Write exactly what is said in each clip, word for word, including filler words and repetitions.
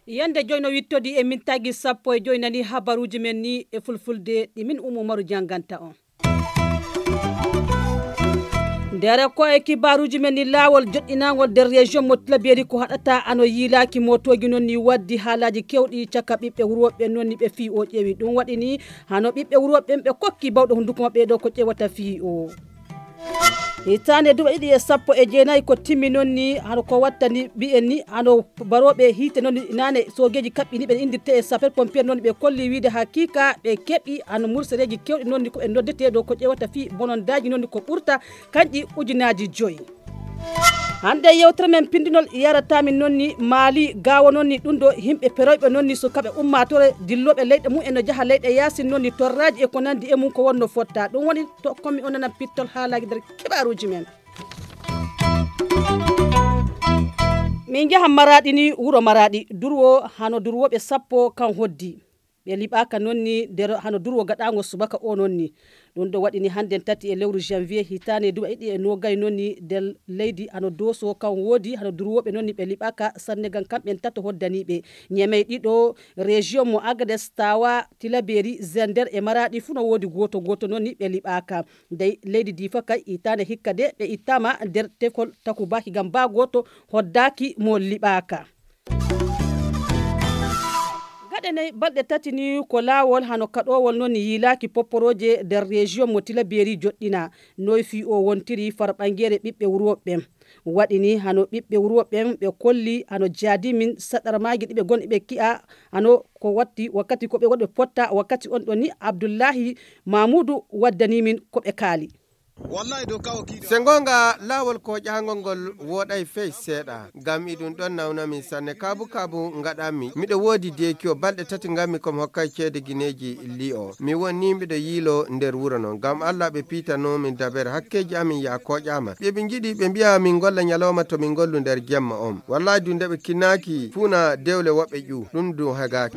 Yande joyno wittodi e min tagi sappo e joy nani habaruji men ni e fulfulde ɗi min Umu Umaru janganta on. Ndere ko e kibaruji men ni laawol joɗɗinangol nder région mo Tilaberi ko haɗata ano yiilaaki motoji non ni waddi haalaji kewɗi caka ɓiɓɓe wuro ɓe non ni ɓe fii o ƴeewi ɗum waɗi ni hano ɓiɓɓe wuro ɓen ɓe kokki bawɗo hunduko maɓɓe ɗo ko ƴewata fii o. Hitaande duuɓi ɗiɗi e sappo e jeenayi ko timmi non ni hano ko wattani mbiyen ni hano barooɓe hiite non ni naane soogeeji kaɓɓini ɓe indirte e sapeur pompier non ni ɓe kolli wiide hakiika ɓe keɓi hano mursereeji kewɗi non ni ko ɓe noddetee ɗo ko ƴewata fii bonondaaji non ni ko ɓurta kanƴi ujunaaji joyi. Hannde yewtere men pinndinol yarata min non ni maali gaawo non ni ɗum ɗo yimɓe peroyɓe non ni sukaɓe ummaatore dillooɓe leyɗe mum en no jaha leyɗe yaasin non ni torraaji e ko nanndi e mum ko wonno fotta ɗum woni to komi onanan pittol haalaaji nder kibaaruuji men. Min njaha maraɗi ni wuro maraɗi durwo hano durwoɓe sappo kan hoddi ɓe liɓaka nonni nder hano durwo gaɗango subaka o nonni. Ɗum ɗo waɗini hannden tati e lewru janvier hitane duwa ɗiɗi e nogay nonni nder leydi hano doso kan woodi hano durwoɓe nonni ɓe liɓaka sannegan kamɓen tato hoddaniɓe ñemey ɗiɗo région mo agades tawa tilaberi zender e maraɗi fuu no woodi goto goto nonni ɓe liɓaka. Dey leydi difa kay itande hikka de ɓe ittama nder tefol takubaki ngam ba goto hoddaki mo liɓaka. Gaɗe nayi balɗe tati ni ko laawol hano kaɗowol non yiilaaki popporoje nder région mo tilaberi joɗɗina noy fii o wontiri far ɓangere ɓiɓɓe wuro ɓen. Waɗi ni hano ɓiɓɓe wuro ɓen ɓe kolli hano jaadimin saɗarmaaji ɗi ɓe gon ɓe ki'a hano ko watti wakkati ko ɓe woni ɓe potta wakkati on ɗon ni abdullahi mamudu waddani min ko ɓe kaali. Se ngoonga laawol kooƴaangol ngol wooɗay fey seeɗa, ngam iɗum ɗon nawna min sanne. Kaabu kaabu ngaɗanmi, miɗo woodi deekiyo, balɗe tati nganmi ko mi hokkay ceede gineeji li'o. Mi won nii miɗo yiiloo nder wuro non, ngam Alla ɓe piitanoo min dabeere, hakkeeji amin yaa kooƴaama. Ɓe ɓe njiɗi ɓe mbi'a min ngolla ñalawma to min ngollu nder jemma on. Wallaahi du nde ɓe kinnaaki fuu na dewle woɓɓe ƴuu, ɗum du hegaaki.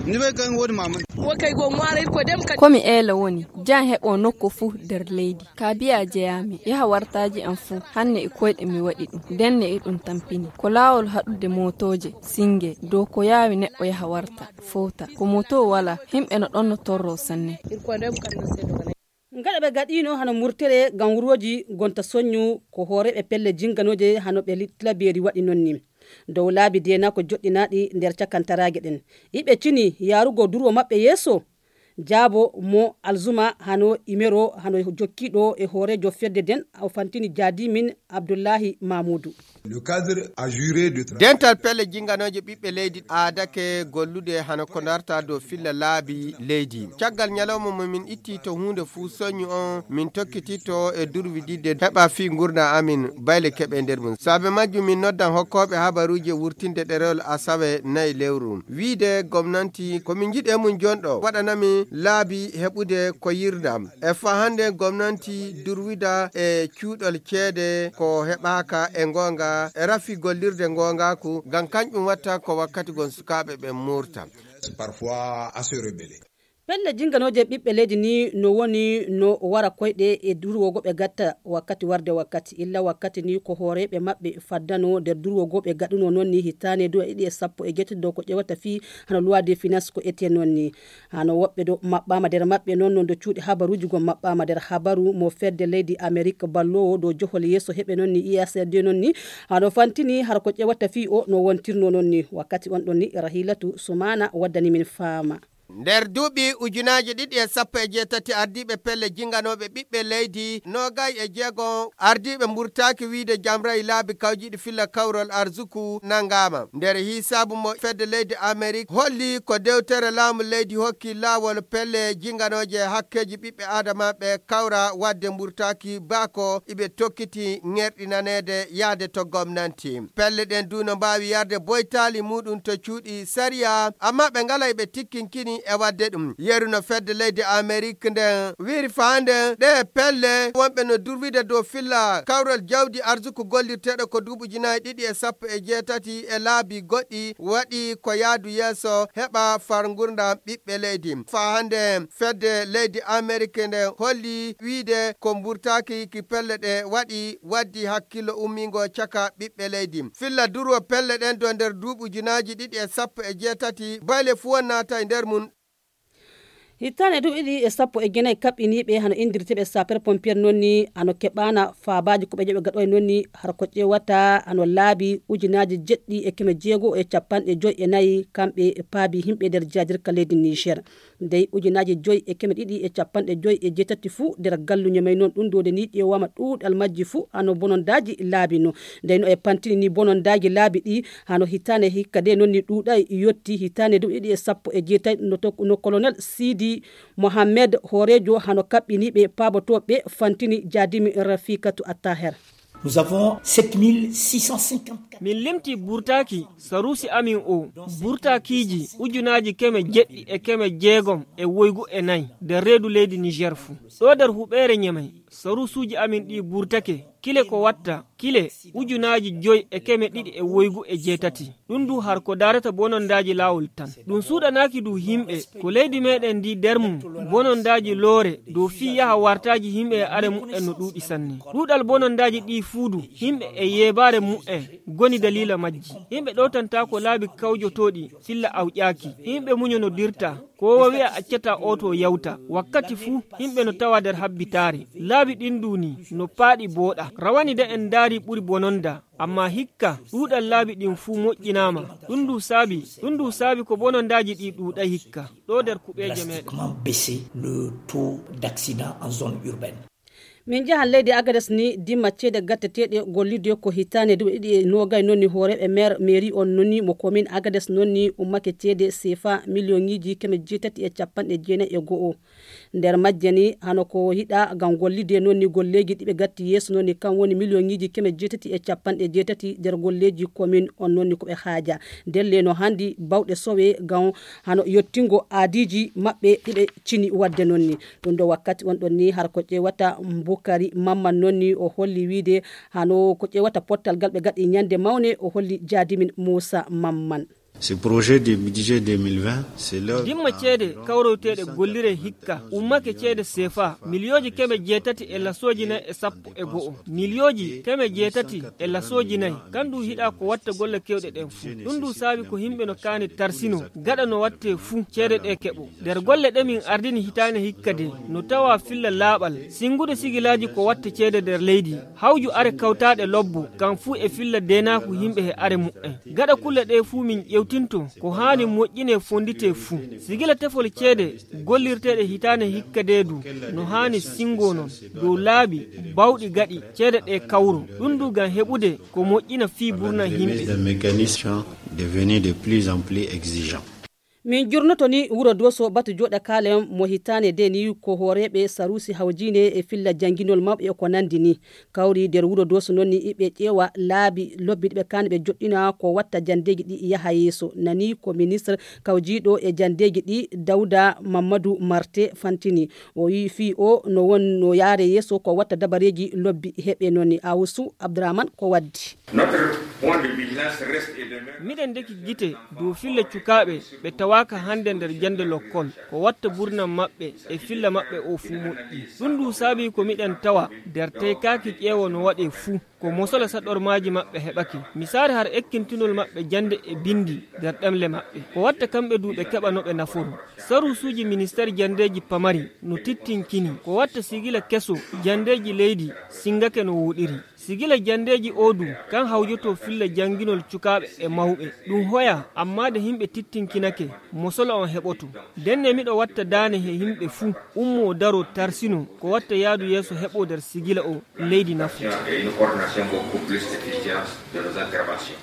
Ko mi eela woni, jan heɓo nokku fuu nder leydi. Ka biya jeyaami, yaha wartaaji am fuu, hanne e koyɗe mi waɗi ɗum, ndenne iɗum tampini. Ko laawol haɗude mootooje, singe, dow ko yaawi neɗɗo yaha warta, fowta. Ko mootoo walaa, himɓe no ɗonno torroo sanne. Ngaɗa ɓe gaɗiino hano murtere ngam wurooji gonta soñu ko hooreeɓe pelle jinganooje hano ɓe Tilaberi waɗi non ni. Dow laabi deenaako joɗɗinaaɗi nder cakantaraage ɗen. Iɓe cini yaarugo durwo maɓɓe yeeso? Jaabo mo Alzuma hano Imero hano jokkiiɗo e hooreejo fedde nden o fantini jaadimin Abdullahi Mamudu. Dental pelle jinganooje ɓiɓɓe leydi aadake gollude hano ko darta dow filla laabi leydi. Caggal ñalawma mo min itti to huunde fuu soñu on min tokkititto e durwididde heɓa fii ngurndan amin bayle keɓe nder mum. Saabe majjum min noddan hokkooɓe habaruuji e wurtinde ɗerewol asawe nayi lewru. Wiide gomnanti ko min njiɗi e mum jonɗo waɗanami laabi heɓude ko yirdam. E faa hannde gomnanti durwida e cuuɗol ceede ko heɓaaka e ngoonga e rafi gollirde ngoongaaku ngam kanƴum watta ko wakkati gon sukaaɓe ɓen muurta. Pelle jinganooje ɓiɓɓe leydi ni no woni no wara koyɗe e durwogo ɓe gatta wakkati warde wakkati illa wakkati ni ko hooreeɓe maɓɓe faddano nder durwogo ɓe gaɗuno non ni hitaane duwa ɗiɗi e sappo e jeetati dow ko ƴewata fii hano loi de finance ko ete non ni. Hano woɓɓe ɗo maɓɓaama nder maɓɓe non no ndo cuuɗi habaruuji gon maɓɓaama nder habaru mo fedde leydi Amerik balloowo dow johol yeeso heɓe non ni I S D non ni hano fantini hara ko ƴewata fii o no wontirno non ni wakkati on ɗon ni Rahilatu Sumaana waddani min faama. Nder duuɓi ujunaaji ɗiɗi e sappo e jeetati ardiiɓe pelle jinganooɓe ɓiɓɓe leydi noogay e jeego ardiiɓe mburtaaki wiide jamray laabi kawjiiɗi filla kawrol arsuku nanngaama. Nder hiisaabu mo fedde leydi Amerik holli ko dewtere laamu leydi hokki laawol pelle jinganooje hakkeeji ɓiɓɓe aadama ɓe kawra waɗde mburtaaki baako iɓe tokkiti ŋerɗinaneede yahde to gomnanti. Pelle ɗen du no mbaawi yarde boytaali muuɗum to cuuɗi sariya, ammaa ɓe ngalay ɓe tikkinkini E waɗde ɗum, yeru no fedde leydi Amerik nden wiri faande ɗe pelle wonɓe no durwide dow filla kawral jawdi arsuku gollirteeɗo ko duuɓi ujunaaji ɗiɗi e sappo e jeetati e laabi goɗɗi waɗi ko yaadu yeeso heɓa far ngurndan ɓiɓɓe leydi. Faa hannde fedde leydi Amerik nden holli wiide ko mburtaaki ki pelle ɗe waɗi waddi hakkillo ummingo caka ɓiɓɓe leydi. Filla durwo pelle ɗen do nder duuɓi ujunaaji ɗiɗi e sappo e jeetati, bayle fuu naata e nder mun. Hittaane duuɓi ɗiɗi e sappo e jeenayi kaɓɓiniiɓe hano inndirteeɓe sapeur pompier noon ni hano keɓaana faabaaji ko ɓe joɓe gaɗoy noon ni har ko ƴeewata hano laabi ujunaaji jeɗɗi e keme jeego e capanɗe joy e nayi kamɓe e paabi yimɓe nder jaadirka leydi Niger. Dey ujunaaji joy e keme ɗiɗi e capanɗe joy e jeetati fuu nder galluñe may noon ɗum ɗo de ni ƴeewaama ɗuuɗal majji fuu hano bonondaaji laabi no. Dey no e pantini ni bonondaaji laabi ɗi hano hitaande hikka de noon ni ɗuuɗay yotti hitaande duuɓi ɗiɗi e sappo e jeetati no to-, no colonel Sidi Mohamed hooreejo hano kaɓɓiniiɓe paabotooɓe fantini jaadimi Rafikatu Attaher. Nous avons sept mille six cent cinquante-quatre. Min limti burtaaki saruusi amin o burtaakiiji ujunaaji keme jeɗɗi e keme jeegom e woygu e nayi nder reedu leydi Niger fuu. Ɗo nder huɓeere Ñamay, saruusuuji amin ɗi burtake kile ko watta kile ujunaaji joy e keme ɗiɗi e woygu e jeetati. Ɗum du har ko daarata bonondaaji laawol tan. Ɗum suuɗanaaki du yimɓe ko leydi meɗen ndi nder mum bonondaaji loore dow fii yaha wartaaji yimɓe e are mu'en no ɗuuɗi sanne. Ɗuuɗal bonondaaji ɗi fuu du yimɓe e yeebaare mu'en ngoni daliila majji. Yimɓe ɗowtantaako laabi kawjotooɗi filla awƴaaki. Yimɓe muño no dirta. Ko o wi'a accata oto yawta. Wakkati fuu yimɓe no tawa nder habbitaare. Laabi ɗin du ni no paaɗi booɗa. Rawani de en ndaari ɓuri bononda. Amma hikka ɗuuɗal laabi ɗin fuu moƴƴinaama. Ɗum du saabi, ɗum du saabi ko bonondaaji ɗi ɗuuɗay hikka. Ɗo nder kuɓeeje meɗen. Drastiquement baisser le taux d'accident en zone urbaine. Min njahan leydi Agades ni dimma ceede gatteteeɗe gollirde ko hitaande duuɓi ɗiɗi e noogay noon ni hooreeɓe meer mairie on noon ni mo commune Agades noon ni ummake ceede sefa miliyoŋiiji keme jeetati e capanɗe jeenayi e go'o. Nder majje ni hano ko yiɗa ngam gollirde noon ni golleeji ɗi ɓe gatti yeeso noon ni kan woni miliyoŋiiji keme jeetati e capanɗe jeetati nder golleeji commune on noon ni ko ɓe haaja. Ndelle no handi bawɗe sowe ngam hano yottingo aadiiji maɓɓe ɗi ɓe cini waɗde noon ni. Ɗum ɗo wakkati on ɗon ni har ko ƴeewata Bukari Mamman noon ni o holli wiide hano ko ƴeewata pottal ngal ɓe gaɗi ñande mawne o holli jaadimin Muusa Mamman. Ce projet de budget deux mille vingt, c'est l'heure. Dimma ceede kawroyteeɗe gollire hikka ummake ceede sefa miliyooji keme jeetati e lasooji nayi e sappo e go'o. Miliyooji keme jeetati e lasooji nayi. Kan ɗum hiɗa ko watta golle kewɗe ɗen fuu. Ɗum ɗum saabi ko yimɓe no kaani tarsino gaɗa no watte fuu ceede ɗe keɓo. Nder golle ɗe min ardini hitaande hikka de no tawa filla laaɓal, singude sigilaaji ko watta ceede nder leydi, hawju are kawtaaɗe lobbo, kan fuu e filla deenaaku yimɓe he are mu'en. Gaɗa kulle ɗe fuu min ƴewtinto ko haani moƴƴine fondite fuu. Sigila tefol ceede gollirteeɗe hitaande hikka de du no haani singo non dow laabi bawɗi gaɗi ceede ɗe kawro. Ɗum du ngam heɓude ko moƴƴina fii burna yimɓe. Des mécanismes devenus de plus en plus exigeants. Min jurnoto ni wuro Doso batu joɗa kalen mo hitane de ni ko horeɓe sarusi hawjine e filla janginol mawɓe e ko nandi ni. Kawri nder wuro Doso non ni iɓe ƴeewa laabi lobbi ɗiɓe kani ɓe joɗɗina ko watta jandeji ɗi yaha yeeso. Nani ko ministre kawjiɗo e jandeji ɗi Dawda Mamadou Marte fantini. O yi fii o no won no yaare yeeso ko watta dabareji lobbi heɓe non ni. Awusu Abdourahmane ko waddi. Notre point de vigilance reste et demeure. Miɗen ndeki gite dow fille cukaaɓe ɓe tawaaka hannde nder jannde lokkol. Ko watta burnam maɓɓe e filla maɓɓe o fuu moƴƴi. Ɗum ndu saabii ko miɗen tawa nder teykaaki ƴeewo no waɗee fuu. Ko mosola saɗormaaji maɓɓe heɓake. Misaare har ekkintinol maɓɓe jannde e binndi nder ɗemle maɓɓe. Ko watta kamɓe du ɓe keɓa no ɓe naforo. Saruusuuji ministeer janndeeji pamari no tittinkini. Ko watta sigila keso janndeeji leydi singake no wooɗiri. Sigila janndeeji oo du, kan hawjoto filla jannginol cukaaɓe e mawɓe. Ɗum hoya, ammaa de yimɓe tittinkinake, mosola on heɓoto. Ndenne miɗo watta daane he yimɓe fuu, ummoo daroo tarsino, ko watta yaadu yeeso heɓoo nder sigila oo, leydi nafo. Et une coordination beaucoup plus efficace de nos interventions.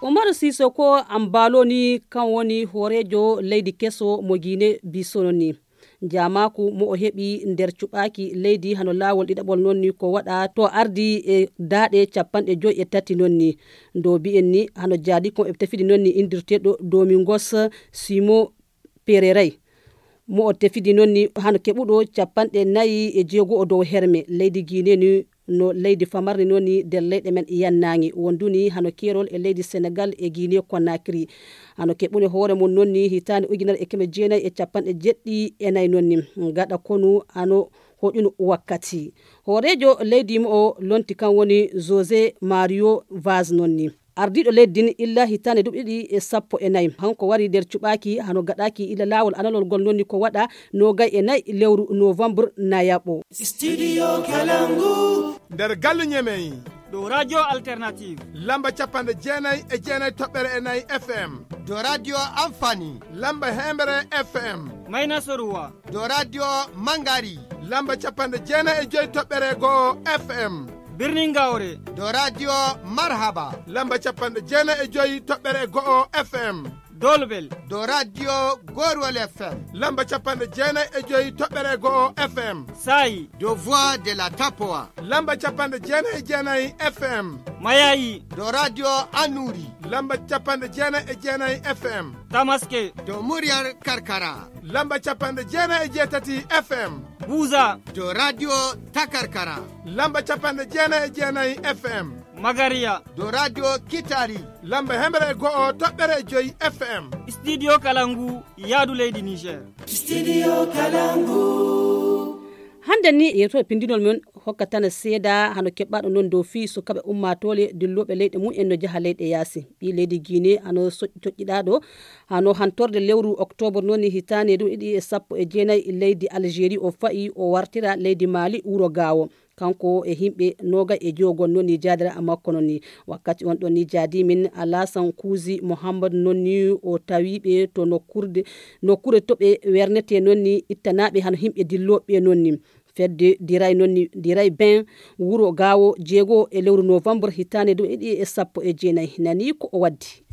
Umaru Sisoko Ambalo ni kan woni hooreejo leydi keso mo Guinée Bissau ni. Jaamaaku mo o heɓi nder cuɓaaki leydi hano laawol ɗiɗaɓol noon ni ko waɗa to ardi e daaɗe capanɗe joyi e tati noon ni. Dow bi'en ni hano jaadi kon e tefidi noon ni indirteeɗo Domingos Simo Pereirai. Mo o tefidi noon ni hano keɓuɗo capanɗe nayi e jeego o dow herme leydi Guinée ni no leydi famarni noon ni nder leyɗe men yannaange wonduni hano keerol e leydi Senegal e Guinée Conakry. Hano keɓune hoore mum noon ni hitaande ujunere e keme jeenayi e capanɗe jeɗɗi e nayi noon ni. Gaɗa konu hano hoƴunu wakkati. Hooreejo leydi mo o lonti kan woni José Mario Vaz noon ni. Ardiiɗo leydi din illa hitaande duuɓi ɗiɗi e sappo e nayi. Hanko wari nder cuɓaaki hano gaɗaaki illa laawol analol ngol noon ni ko waɗa noogay e nayi lewru novembre nayaɓo. Studio Kalangu. Nder galle Ñemey. Ɗo Radio Alternative. Lamba capanɗe jeenayi e jeenayi toɓɓere e nayi F M. Ɗo Radio Amfani. Lamba heembere F M. Mayna Soruwa. Ɗo Radio Mangari. Lamba capanɗe jeenayi e joyi toɓɓere go'o F M. Birnin Gawre. Ɗo Radio Marhaba. Lamba capanɗe jeenayi e joyi toɓɓere go'o F M. Dolbel. Ɗo Radio Gorwal F M. Lamba capanɗe jeenayi e joyi toɓɓere go'o F M. Sayi. Ɗo Voix de la Tapoa. Lamba capanɗe jeenayi e jeenayi F M. Mayayi. Ɗo Radio Anuri. Lamba capanɗe jeenayi e jeenayi F M. Tamaske. Ɗo Muryar Karkara. Lamba capanɗe jeenayi e jeetati F M. Buza. Ɗo Radio Takarkara. Lamba capanɗe jeenayi e jeenayi F M. Magariya. Ɗo Radio Kitari. Lamba heembere e go'o toɓɓere e joyi F M. Studio Kalangu, yaadu leydi Niger. Studio Kalangu. Hannde ni, yeewtere pinndinol men hokkatana seedaa hano keɓɓaaɗo noon dow fii sukaaɓe ummaatoore dillooɓe leyɗe mum en no jaha leyɗe yaasi. Ɓii leydi Guinée hano so-, coƴƴiɗaaɗo hano hantorde lewru oktoobar noon ni hitaande ɗum ɗiɗi e sappo e jeenayi leydi Algérie o fa'i o wartira leydi Mali wuro Gaawo. Kanko e yimɓe noogay e joogol noon ni jaadira makko noon ni. Wakkati on ɗon ni jaadi min Alasan Kuuzi Muhammad noon ni o tawi ɓe to nokkurde, nokkure to ɓe wernete noon ni ittanaaɓe hano yimɓe dillooɓe noon ni. Fedde Diray noon ni, Diray Ben wuro Gaawo jeego e lewru novembre hitaande ɗum ɗiɗi e sappo e jeenayi. Nani ko o waddi.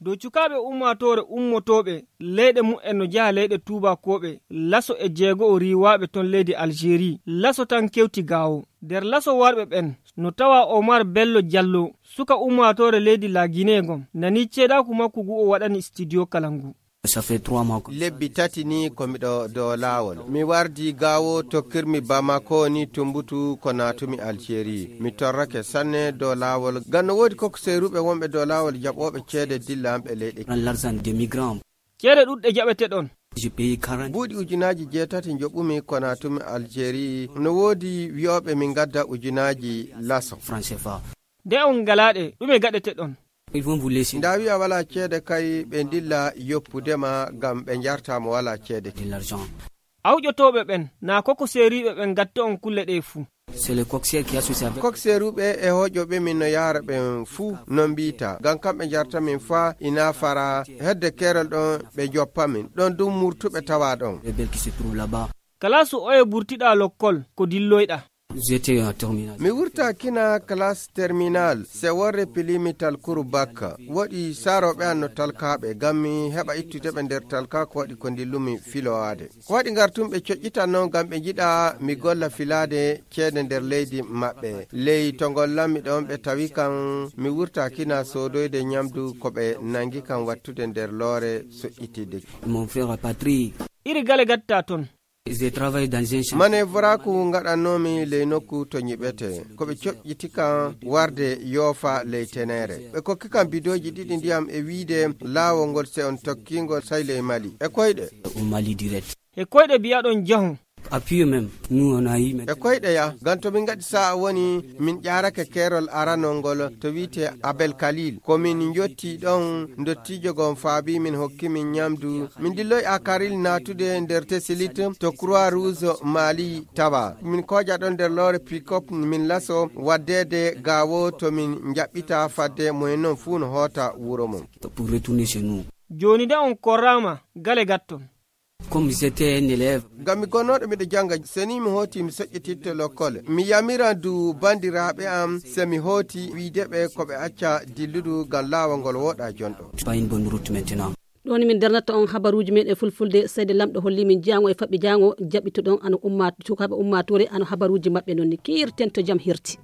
Dow cukaaɓe ummaatoore ummotooɓe leyɗe mumen no njaha leyɗe tuubakooɓe, laso e jeego'o riiwaaɓe ton leydi Algérie, laso tan kewti Gaawo. Nder laso warɓe ɓen, no tawa Omar Bello Diallo, suka ummaatoore leydi La Guinée ngon, nani ceedaaku makko ngu o waɗani Studio Kalangu. Ça fait trois mois que Lebbi tati ni ko miɗo dow laawol. Mi wardi Gaawo, tokkirmi Bamako ni tumbutu ko naatumi Algérie. Mi torrake sanne dow laawol. Ngam no woodi kokkoseeruɓe wonɓe dow laawol jaɓooɓe ceede dilla am ɓe leyɗe. Prends l'argent des migrants. Ceede ɗuɗɗe jaɓeteɗon. Je paye quarante. Buuɗi ujunaaji jeetati njoɓumi ko naatumi Algérie. No woodi wi'ooɓe min ngadda ujunaaji laso. Franc C F A. Nde on ngalaa ɗe, ɗume gaɗeteɗon? Ils vont vous laisser. Nda wi'a wala ceede kay ɓe ndilla yoppudema ngam ɓe njarta mo wala ceede. De l'argent. Awƴotooɓe ɓen, naa kokkoseeriiɓe ɓen gatta on kulle ɗe fuu. C'est le coxeur qui associe avec. Kokseeruɓe e hoƴoɓe min no yaara ɓen fuu no mbiita. Ngam kamɓe njarta min faa ina fara hedde keerol ɗon ɓe joppa min. Ɗon dum murtuɓe tawa ɗon. Rebelle qui se trouve là-bas. Kalaasu oye burtiɗaa lokkol ko dilloyɗaa? J'étais en terminale. Mi wurta kina classe terminale, se worre pilimi talkuru bakka. Woɗi saroɓe an no talkaɓe, ngam mi heɓa ittude ɓe nder talka ko waɗi ko ndillumi filowaade. Ko waɗi ngartum ɓe coƴƴitan non ngam ɓe njiɗa mi golla filaade ceede nder leydi maɓɓe. Ley to ngollanmi ɗon ɓe tawi kan mi wurta kina soodoyde ñamdu ko ɓe nangi kan wattude nder loore soƴƴitidde. Mon frère Patrick. Iri gale gatta ton. Manevraku ngaɗannoomi ley nokku to ñiɓetee. Ko ɓe coƴƴiti kan warde yoofa ley teneere. Ɓe kokki kan bidooji ɗiɗi ndiyam e wiide laawol ngol se on tokki ngol say ley Mali. E koyɗe. E koyɗe biyaɗon jahon. E koyɗe ya, ngam to min ngaɗi sa'a woni min ƴaarake keerol aranol ngol to wi'etee Abel Kalil. Ko min njotti ɗon ndottiijo gon faabi min hokki min ñamdu. Min dilloy Akaril naatude nder Tesilit to Croix Rouge Mali tawa. Min kooƴa ɗon nder loore pick-up min laso waddeede Gaawo to min njaɓɓita fadde moyen non fuu no hoota wuro mum. Pour retourner chez nous. Jooni de on korraama gale gatton. Comme j'étais un élève. Ngam mi gonnooɗo miɗo jannga, se ni mi hooti mi soƴƴititto lokkole. Mi yamiran du banndiraaɓe am, se mi hooti wi'ude ɓe ko ɓe acca dilludu ngam laawol ngol wooɗa jonɗo. Pas une bonne route maintenant. Ɗo ni min darnata on habaruuji men e fulfulde, seede lamɗo holli min jaango e faɓɓi jaango jaɓɓito ɗon ano umma sukaaɓe ummaatoore ano habaruuji maɓɓe non ni kiirten to jam hirti.